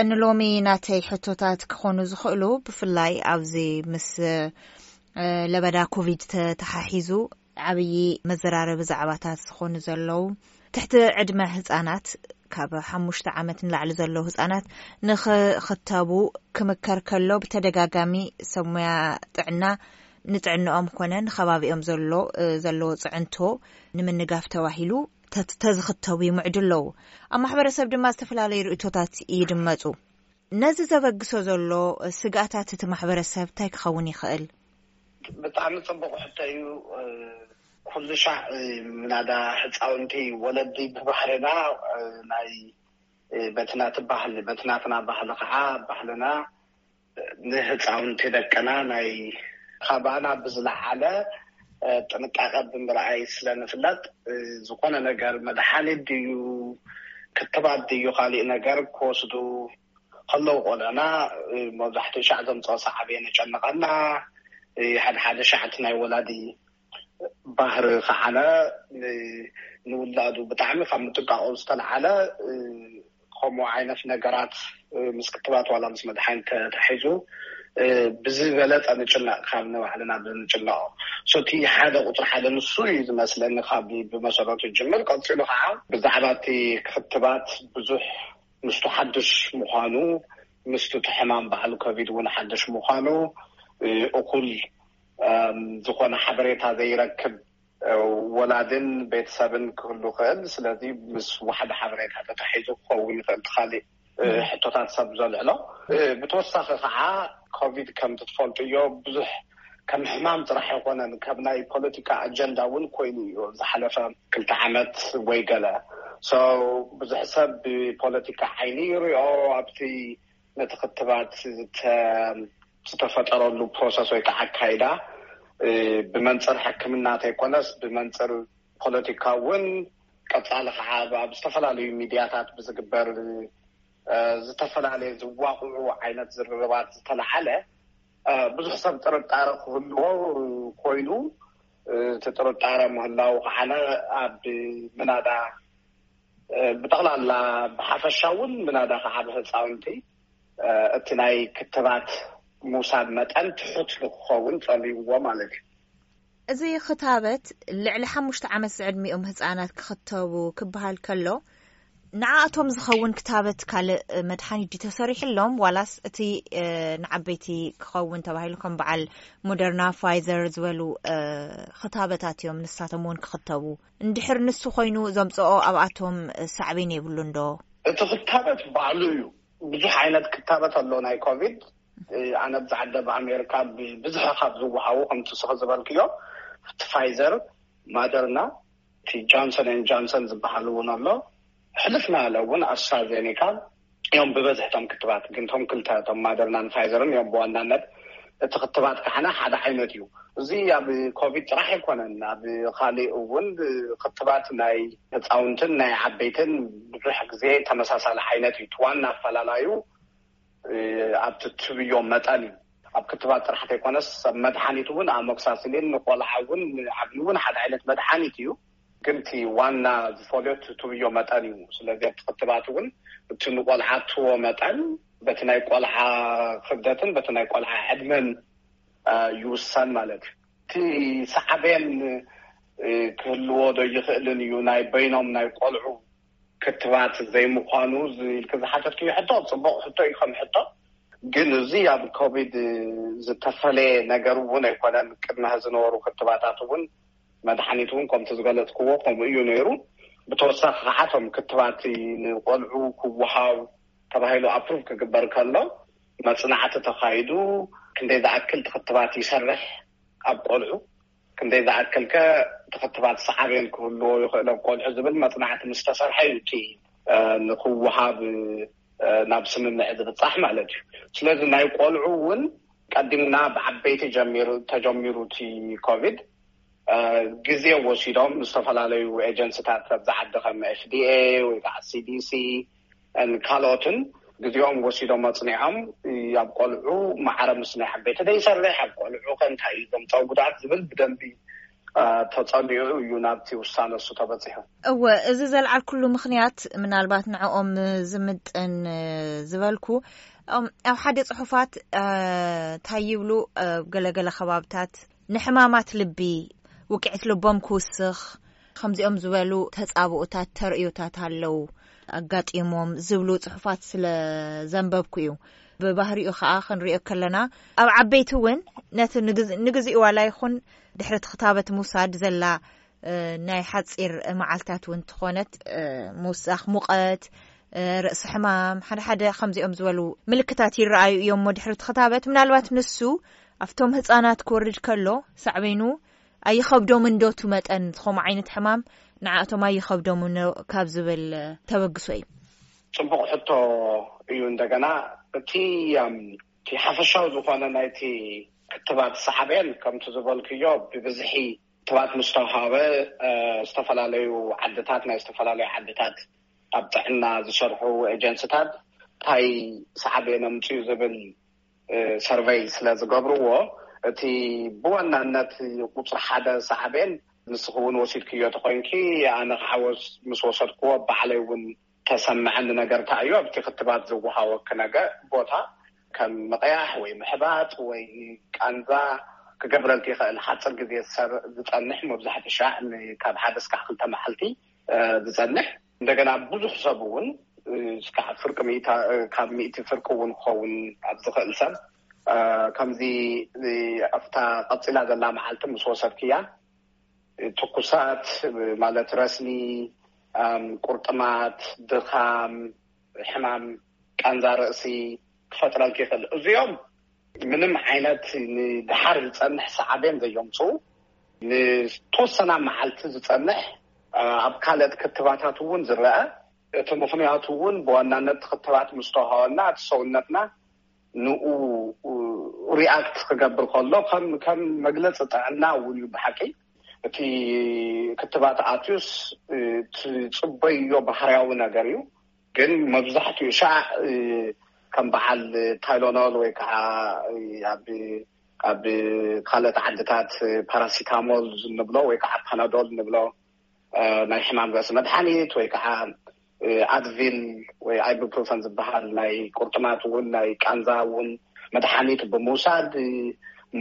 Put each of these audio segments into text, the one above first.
ንሎሚ ናተይ ሕቶታት ክኾኑ ዝኽእሉ፣ ብፍላይ ኣብዚ ምስ ለበዳ ኮቪድ ተተሓሒዙ ዓብዪ መዘራረቢ ዛዕባታት ዝኾኑ ዘለዉ፣ ትሕቲ ዕድመ ህጻናት፣ ካብ ሓሙሽተ ዓመት ንላዕሊ ዘለዉ ህጻናት ንኽኽተቡ ክምከር ከሎ፣ ብተደጋጋሚ ሰብ ሞያ ጥዕና ንጥዕንኦም ኮነ ንኸባቢኦም ዘሎ ዘለዎ ጽዕንቶ ንምንጋፍ ተባሂሉ ተዝኽተቡ ይምዕዱ ኣለዉ። ኣብ ማሕበረሰብ ድማ ዝተፈላለዩ ርእቶታት ይድመጹ። ነዚ ዘበግሶ ዘሎ ስግኣታት እቲ ማሕበረሰብ እንታይ ክኸውን ይኽእል? ብጣዕሚ ጽቡቕ ሕቶ እዩ። ኩሉ ሻዕ ምናዳ ህፃውንቲ፣ ወለዲ ብባህልና ናይ በቲ ናቲ ባህሊ፣ በቲ ናትና ባህሊ ከዓ፣ ባህልና ንህፃውንቲ ደቅና ናይ ካባና ብዝለዓለ ጥንቃቐ ብምርኣይ ስለ ንፍለጥ፣ ዝኾነ ነገር መድሓኒት ድዩ፣ ክትባት ድዩ፣ ካሊእ ነገር ክወስዱ ከለዉ ቆልዕና፣ መብዛሕትኡ ሻዕ ዘምፅኦ ሳዕቤን የጨንቐና። ሓደ ሓደ ሻዕ እቲ ናይ ወላዲ ባህሪ ከዓነ ንውላዱ ብጣዕሚ ካብ ምጥንቃቑ ዝተለዓለ፣ ከምኡ ዓይነት ነገራት ምስ ክትባት ዋላ ምስ መድሓኒት ተታሒዙ ብዝበለፀ ንጭነቕ፣ ካብ ንባዕልና ብንጭነቕ። እቲ ሓደ ቁፅሪ ሓደ ንሱ እዩ ዝመስለኒ፣ ካብ ብመሰረቱ ጅምር። ቀፂሉ ከዓ ብዛዕባ እቲ ክትባት ብዙሕ ምስቱ ሓድሽ ምዃኑ፣ ምስቱ እቲ ሕማም በዓል ኮቪድ እውን ሓድሽ ምዃኑ፣ እኹል ዝኾነ ሓበሬታ ዘይረክብ ወላድን ቤተሰብን ክህሉ ይኽእል። ስለዚ ምስ ዋሕዲ ሓበሬታ ተታሒዙ ክኸውን ይኽእል፣ እቲ ካሊእ ሕቶታት ሰብ ዘልዕሎ። ብተወሳኺ ከዓ ኮቪድ፣ ከምቲ ትፈልጥዮ፣ ብዙሕ ከም ሕማም ጥራሕ ኣይኮነን፣ ከም ናይ ፖለቲካ ኣጀንዳ እውን ኮይኑ እዩ ዝሓለፈ ክልተ ዓመት ወይ ገለ። ብዙሕ ሰብ ብፖለቲካ ዓይኒ ይሪኦ። ኣብቲ ነቲ ክትባት ዝተፈጠረሉ ፕሮሰስ ወይ ከዓ ኣካይዳ ብመንፅር ሕክምና ተይኮነስ ብመንፅር ፖለቲካ እውን፣ ቀፃሊ ከዓ ኣብ ዝተፈላለዩ ሚድያታት ብዝግበር ዝተፈላለየ ዝዋቕዑ ዓይነት ዝርርባት ዝተለዓለ ብዙሕ ሰብ ጥርጣረ ክህልዎ ኮይኑ፣ እቲ ጥርጣረ ምህላው ከዓ ኣብ ምናዳ ብጠቕላላ ብሓፈሻ እውን ምናዳ ከዓ ብህፃውንቲ እቲ ናይ ክትባት ምውሳድ መጠን ትሑት ንክኸውን ፀሊውዎ ማለት እዩ። እዚ ክታበት ልዕሊ ሓሙሽተ ዓመት ዝዕድሚኦም ህፃናት ክኽተቡ ክበሃል ከሎ፣ ንዓኣቶም ዝኸውን ክታበት ካልእ መድሓኒት ድዩ ተሰሪሕሎም፣ ዋላስ እቲ ንዓበይቲ ክኸውን ተባሂሉ ከም በዓል ሞደርና፣ ፋይዘር ዝበሉ ክታበታት እዮም ንሳቶም እውን ክኽተቡ? እንድሕር ንሱ ኮይኑ ዘምፅኦ ኣብኣቶም ሳዕቤን የብሉን ዶ? እቲ ክታበት ባዕሉ እዩ ብዙሕ ዓይነት ክታበት ኣሎ ናይ ኮቪድ። ኣነ ኣብዚ ዓዲ ኣብ ኣሜሪካ ብብዝሒ ካብ ዝወሃቡ፣ ከምቲ ስኺ ዝበልክዮ፣ እቲ ፋይዘር፣ ማደርና፣ እቲ ጆንሰን ኤን ጆንሰን ዝበሃል እውን ኣሎ። ሕልፍ ናለ እውን ኣስትራዜኔካ እዮም ብበዝሒ እቶም ክትባት። ግን እቶም ክልተ፣ እቶም ማደርናን ፋይዘርን እዮም ብዋናነት። እቲ ክትባት ከዓና ሓደ ዓይነት እዩ። እዚ ኣብ ኮቪድ ጥራሕ ኣይኮነን፣ ኣብ ካሊእ እውን ክትባት ናይ ህፃውንትን ናይ ዓበይትን ብዙሕ ግዜ ተመሳሳሊ ዓይነት እዩ። እቲ ዋና ኣፈላላዩ ኣብቲ ትብዮ መጠን እዩ። ኣብ ክትባት ጥራሕ ዘይኮነስ፣ ኣብ መድሓኒት እውን ኣሞክሳስሊን ንቆልዓ እውን ንዓብዪ እውን ሓደ ዓይነት መድሓኒት እዩ። ግን እቲ ዋና ዝፈልዮ እቲ ትብዮ መጠን እዩ። ስለዚ ኣብቲ ክትባት እውን እቲ ንቆልዓ ትቦ መጠን በቲ ናይ ቆልዓ ክብደትን በቲ ናይ ቆልዓ ዕድመን ይውሰን ማለት እዩ። እቲ ሳዕቤን ክህልዎ ዶ ይኽእልን እዩ ናይ በይኖም ናይ ቆልዑ ክትባት ዘይምዃኑ ኢልክ ዝሓተትክዮ ሕቶ ጽቡቕ ሕቶ እዩ ከም ሕቶ። ግን እዚ ኣብ ኮቪድ ዝተፈለየ ነገር እውን ኣይኮነን። ቅድሚ ዝነበሩ ክትባታት እውን መድሓኒት እውን ከምቲ ዝገለጽክዎ ከምኡ እዩ ነይሩ። ብተወሳኺ ከዓ እቶም ክትባት ንቆልዑ ክወሃብ ተባሂሉ ኣፕሩቭ ክግበር ከሎ መፅናዕቲ ተኻይዱ ክንደይ ዝኣክል እቲ ክትባት ይሰርሕ ኣብ ቆልዑ፣ ክንደይ ዝኣክል ከ እቲ ክትባት ሰዓቤን ክህልዎ ይኽእል ኣብ ቆልዑ ዝብል መፅናዕቲ ምስ ተሰርሐ እዩ እቲ ንክወሃብ ናብ ስምምዕ ዝብፃሕ ማለት እዩ። ስለዚ ናይ ቆልዑ እውን ቀዲምና ብዓበይቲ ጀሚሩ ተጀሚሩ እቲ ኮቪድ ግዜ ወሲዶም ዝተፈላለዩ ኤጀንስታት ኣብዚ ዓዲ ከም ኤፍዲኤ ወይ ከዓ ሲዲሲ ካልኦትን ግዜኦም ወሲዶም ኣፅኒዖም ኣብ ቆልዑ ማዕረ ምስ ናይ ዓበይቲ ዘይሰርሕ ኣብ ቆልዑ ከ እንታይ እዩ ዘምፀኦ ጉድኣት ዝብል ብደንቢ ተጸሊኡ እዩ ናብቲ ውሳነ እሱ ተበጺሑ። እወ፣ እዚ ዘልዓልኩሉ ምኽንያት ምናልባት ንዕኦም ዝምጥን ዝበልኩ፣ ኣብ ሓደ ጽሑፋት እንታይ ይብሉ፣ ገለገለ ከባብታት ንሕማማት ልቢ፣ ውቅዒት ልቦም ክውስኽ፣ ከምዚኦም ዝበሉ ተጻብኦታት፣ ተርእዮታት ኣለዉ ኣጋጢሞም ዝብሉ ጽሑፋት ስለ ዘንበብኩ እዩ። ብባህሪኡ ከኣ ክንሪኦ ከለና፣ ኣብ ዓበይቲ እውን ነቲ ንግዝ- ንግዚኡ ዋላ ይኹን ድሕሪ እቲ ክታበት ምውሳድ ዘላ ናይ ሓጺር መዓልታት እውን ትኾነት፣ ምውሳኽ ሙቐት፣ ርእሲ ሕማም፣ ሓደ ሓደ ከምዚኦም ዝበሉ ምልክታት ይረኣዩ እዮም። ድሕሪ እቲ ክታበት ምናልባት ንሱ ኣብቶም ህጻናት ክወርድ ከሎ ሳዕቤኑ ኣይኸብዶምን ዶ? እቲ መጠን ዝኾም ዓይነት ሕማም ንዓእቶም ኣይኸብዶምን ካብ ዝብል ተበግሶ እዩ። ጽቡቕ ሕቶ እዩ። እንደገና እቲ እቲ ሓፈሻዊ ዝኾነ ናይቲ ክትባት ሳዕቤን ከምቲ ዝበልክዮ ብብዝሒ ክትባት ምስ ተውሃበ፣ ዝተፈላለዩ ዓድታት፣ ናይ ዝተፈላለዩ ዓድታት ኣብ ጥዕና ዝሰርሑ ኤጀንስታት እንታይ ሳዕቤን ኣምፅኡ ዝብል ሰርቨይ ስለ ዝገብርዎ፣ እቲ ብዋናነት ቁፅሪ ሓደ ሳዕቤን ንስኺ እውን ወሲድክዮ ተኾይንኪ፣ ኣነ ከዓ ምስ ወሰድክዎ ባዕለይ እውን ተሰምዐኒ ነገር እንታይ እዩ፣ ኣብቲ ክትባት ዝወሃወኪ ነገር ቦታ ከም ምቕያሕ ወይ ምሕባጥ ወይ ቃንዛ ክገብረልኪ ይኽእል። ሓፂር ግዜ ዝፀንሕ፣ መብዛሕትኡ ሻዕ ካብ ሓደ እስካዕ ክልተ መዓልቲ ዝፀንሕ፣ እንደገና ብዙሕ ሰብ እውን እስካዕ ፍርቂ ሚእታ ካብ ሚእቲ ፍርቂ እውን ክኸውን ኣብ ዝኽእል ሰብ ከምዚ ኣብታ ቀፂላ ዘላ መዓልቲ ምስ ወሰድክያ ትኩሳት ማለት ረስኒ፣ ቁርጥማት፣ ድኻም፣ ሕማም ቃንዛ ርእሲ ክፈጥረልኪ ይኽእል። እዚኦም ምንም ዓይነት ንድሓር ዝፀንሕ ሳዕቤን ዘየምፅኡ፣ ንተወሰና መዓልቲ ዝፀንሕ፣ ኣብ ካልኦት ክትባታት እውን ዝረአ። እቲ ምኽንያቱ እውን ብዋናነት ክትባት ምስ ተዋሃበና እቲ ሰውነትና ንኡ ሪኣክት ክገብር ከሎ ከም ከም መግለፂ ጥዕና እውን እዩ። ብሓቂ እቲ ክትባት ኣትዩስ ትፅበዮ ባህርያዊ ነገር እዩ። ግን መብዛሕትኡ ሻዕ ከም በዓል ታይሎኖል ወይ ከዓ ኣብ ኣብ ካልኦት ዓድታት ፓራሲታሞል ንብሎ ወይ ከዓ ፓናዶል ንብሎ ናይ ሕማም ርእሲ መድሓኒት ወይ ከዓ ኣድቪል ወይ ኣይቡፕሮፈን ዝበሃል ናይ ቁርጥማት እውን ናይ ቃንዛ እውን መድሓኒት ብምውሳድ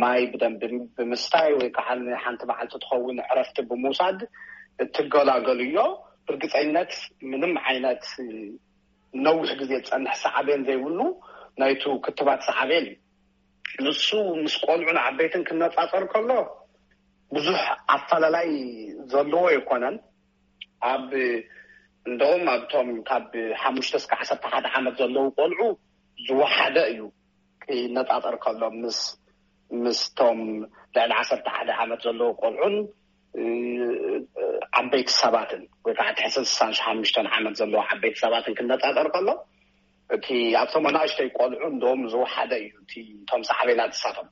ማይ ብደንቢ ብምስታይ ወይ ከዓ ንሓንቲ መዓልቲ ትኸውን ዕረፍቲ ብምውሳድ እትገላገሉ እዮ። ብርግፀኝነት ምንም ዓይነት ነዊሕ ግዜ ዝፀንሕ ሳዕቤን ዘይብሉ ናይቱ ክትባት ሳዕቤን እዩ። ንሱ ምስ ቆልዑን ዓበይትን ክነፃፀር ከሎ ብዙሕ ኣፈላላይ ዘለዎ ኣይኮነን። ኣብ እንደውም ኣብቶም ካብ ሓሙሽተ እስከ ዓሰርተ ሓደ ዓመት ዘለዉ ቆልዑ ዝወሓደ እዩ ክነፃፀር ከሎ ምስ ምስቶም ልዕሊ ዓሰርተ ሓደ ዓመት ዘለዉ ቆልዑን ዓበይቲ ሰባትን ወይ ከዓ ትሕቲ ስሳን ሓሙሽተን ዓመት ዘለዉ ዓበይቲ ሰባትን ክነፃፀር ከሎ እቲ ኣብቶም ኣናእሽተይ ቆልዑ እንደውም ዝወሓደ እዩ እቲ እቶም ሳዕቤናት ዝሳቶም።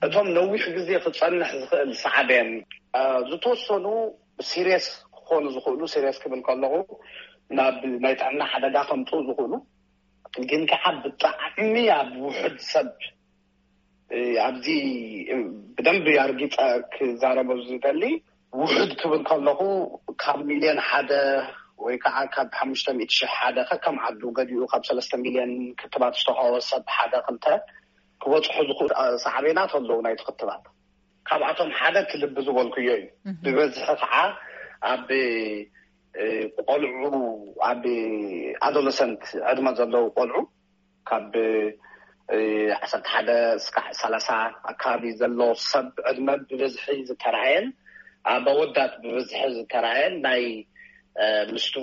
እቶም ነዊሕ ግዜ ክፀንሕ ዝኽእል ሳዕቤን ዝተወሰኑ ሲሪየስ ክኾኑ ዝኽእሉ፣ ሲሪየስ ክብል ከለኹ ናብ ናይ ጥዕና ሓደጋ ከምፅኡ ዝኽእሉ ግን ከዓ ብጣዕሚ ኣብ ውሕድ ሰብ ኣብዚ ብደንብ ኣርጊፀ ክዛረቦ ዝደሊ ውሕድ ክብል ከለኹ ካብ ሚልዮን ሓደ ወይ ከዓ ካብ ሓሙሽተ ሚእቲ ሽሕ ሓደ ከከም ዓዱ ገዲኡ ካብ ሰለስተ ሚልዮን ክትባት ዝተኸወ ሰብ ሓደ ክልተ ክበፅሑ ዝኽእሉ ሳዕቤናት ኣለዉ ናይቲ ክትባት። ካብኣቶም ሓደ እቲ ልቢ ዝበልኩዮ እዩ። ብበዝሒ ከዓ ኣብ ቆልዑ ኣብ ኣዶለሰንት ዕድመ ዘለዉ ቆልዑ ካብ ዓሰርተ ሓደ እስካዕ ሰላሳ ኣካባቢ ዘሎ ሰብ ዕድመ ብብዝሒ ዝተረኣየን ኣብ ኣወዳት ብብዝሒ ዝተረኣየን ናይ ምስቱ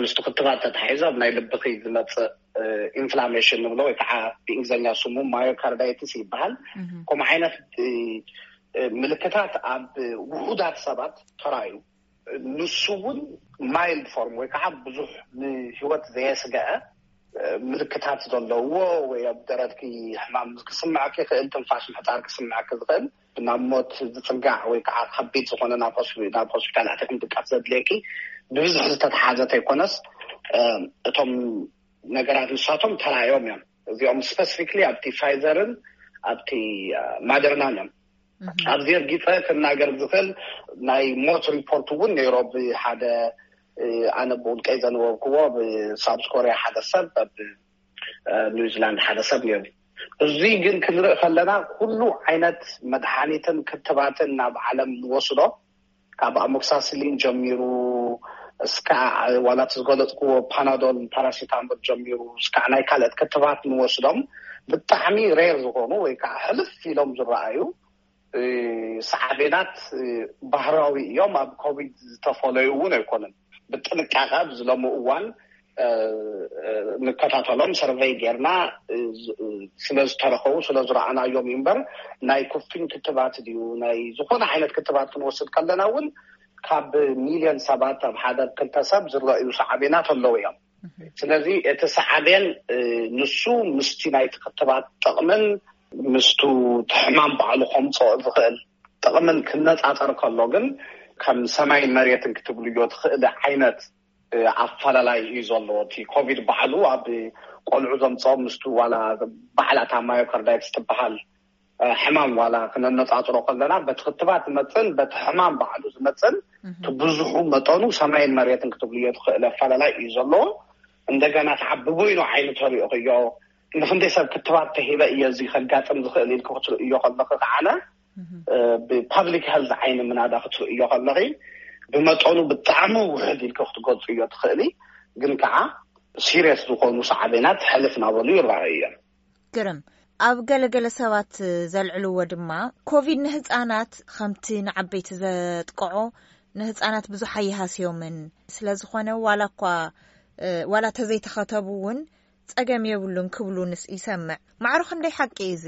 ምስቱ ክትባት ተታሒዞ ኣብ ናይ ልብኺ ዝመፅእ ኢንፍላሜሽን ንብሎ ወይ ከዓ ብእንግሊዝኛ ስሙ ማዮካርዳይትስ ይበሃል። ከምኡ ዓይነት ምልክታት ኣብ ውሑዳት ሰባት ተራዩ። ንሱ እውን ማይልድ ፎርም ወይ ከዓ ብዙሕ ንህይወት ዘየስገአ ምልክታት ዘለዎ ወይ ኣብ ደረትኪ ሕማም ክስምዐኪ ይኽእል፣ ትንፋሽ ምሕፃር ክስምዐኪ ዝኽእል፣ ናብ ሞት ዝፅጋዕ ወይ ከዓ ከቢድ ዝኾነ ናብ ናብ ሆስፒታል ኣትኽን ድቃስ ዘድልየኪ ብብዝሒ ዝተተሓዘ ተይኮነስ እቶም ነገራት ንሳቶም ተራእዮም እዮም። እዚኦም ስፐሲፊክሊ ኣብቲ ፋይዘርን ኣብቲ ማደርናን እዮም ኣብዚ ርጊፀ ክናገር ዝኽእል ናይ ሞት ሪፖርት እውን ነይሮ። ብሓደ ኣነ ብውልቀይ ዘንበብክዎ ብሳውት ኮርያ ሓደ ሰብ ኣብ ኒውዚላንድ ሓደ ሰብ ነይሩ። እዚ ግን ክንርኢ ከለና ኩሉ ዓይነት መድሓኒትን ክትባትን ናብ ዓለም ንወስዶ ካብ ኣሞክሳስሊን ጀሚሩ እስካ ዋላ እቲ ዝገለፅክዎ ፓናዶል ፓራሲታሞል ጀሚሩ እስካ ናይ ካልኦት ክትባት ንወስዶም ብጣዕሚ ሬር ዝኾኑ ወይ ከዓ ሕልፍ ኢሎም ዝረኣዩ ሳዕቤናት ባህራዊ እዮም። ኣብ ኮቪድ ዝተፈለዩ እውን ኣይኮነን። ብጥንቃቐ ኣብዚ ሎሚ እዋን ንከታተሎም ሰርቨይ ጌርና ስለዝተረኸቡ ስለዝረኣናዮም እዩ እምበር ናይ ኩፍኝ ክትባት ድዩ ናይ ዝኾነ ዓይነት ክትባት ክንወስድ ከለና እውን ካብ ሚልዮን ሰባት ኣብ ሓደ ክልተ ሰብ ዝረኣዩ ሳዕቤናት ኣለዉ እዮም። ስለዚ እቲ ሳዕቤን ንሱ ምስቲ ናይቲ ክትባት ጥቕምን ምስቱ ሕማም ባዕሉ ከምፅኦ ዝኽእል ጥቕምን ክነፃፀር ከሎ ግን ከም ሰማይን መሬትን ክትብልዮ ትኽእል ዓይነት ኣፈላላይ እዩ ዘሎ። እቲ ኮቪድ ባዕሉ ኣብ ቆልዑ ዘምፅኦም ምስቱ ዋላ ባዕላ እታ ማዮካርዳይትስ ትበሃል ሕማም ዋላ ክነነፃፅሮ ከለና በቲ ክትባት ዝመፅን በቲ ሕማም ባዕሉ ዝመፅን እቲ ብዙሑ መጠኑ ሰማይን መሬትን ክትብልዮ ትኽእል ኣፈላላይ እዩ ዘለዎ። እንደገና ከዓ ብበይኑ ዓይኒ ተሪእኽዮ ንክንደይ ሰብ ክትባት ተሂበ እየ እዚ ከጋጥም ዝኽእል ኢልክ ክትርእዮ ከለክ ከዓነ ብፓብሊክ ሄልዝ ዓይኒ ምናዳ ክትርእዮ ከለኺ ብመጠኑ ብጣዕሚ ውሕድ ኢልክ ክትገልፅዮ ትኽእሊ። ግን ከዓ ሲሪየስ ዝኾኑ ሳዕቤናት ሕልፍ ናበሉ ይረኣዩ እዮም። ግርም ኣብ ገለገለ ሰባት ዘልዕልዎ ድማ ኮቪድ ንህፃናት ከምቲ ንዓበይቲ ዘጥቅዖ ንህፃናት ብዙሕ ኣይሃስዮምን ስለዝኾነ ዋላ እኳ ዋላ ተዘይተኸተቡ እውን ፀገም የብሉን ክብሉ ንስ ይሰምዕ። ማዕሮ ክንደይ ሓቂ እዩ እዚ?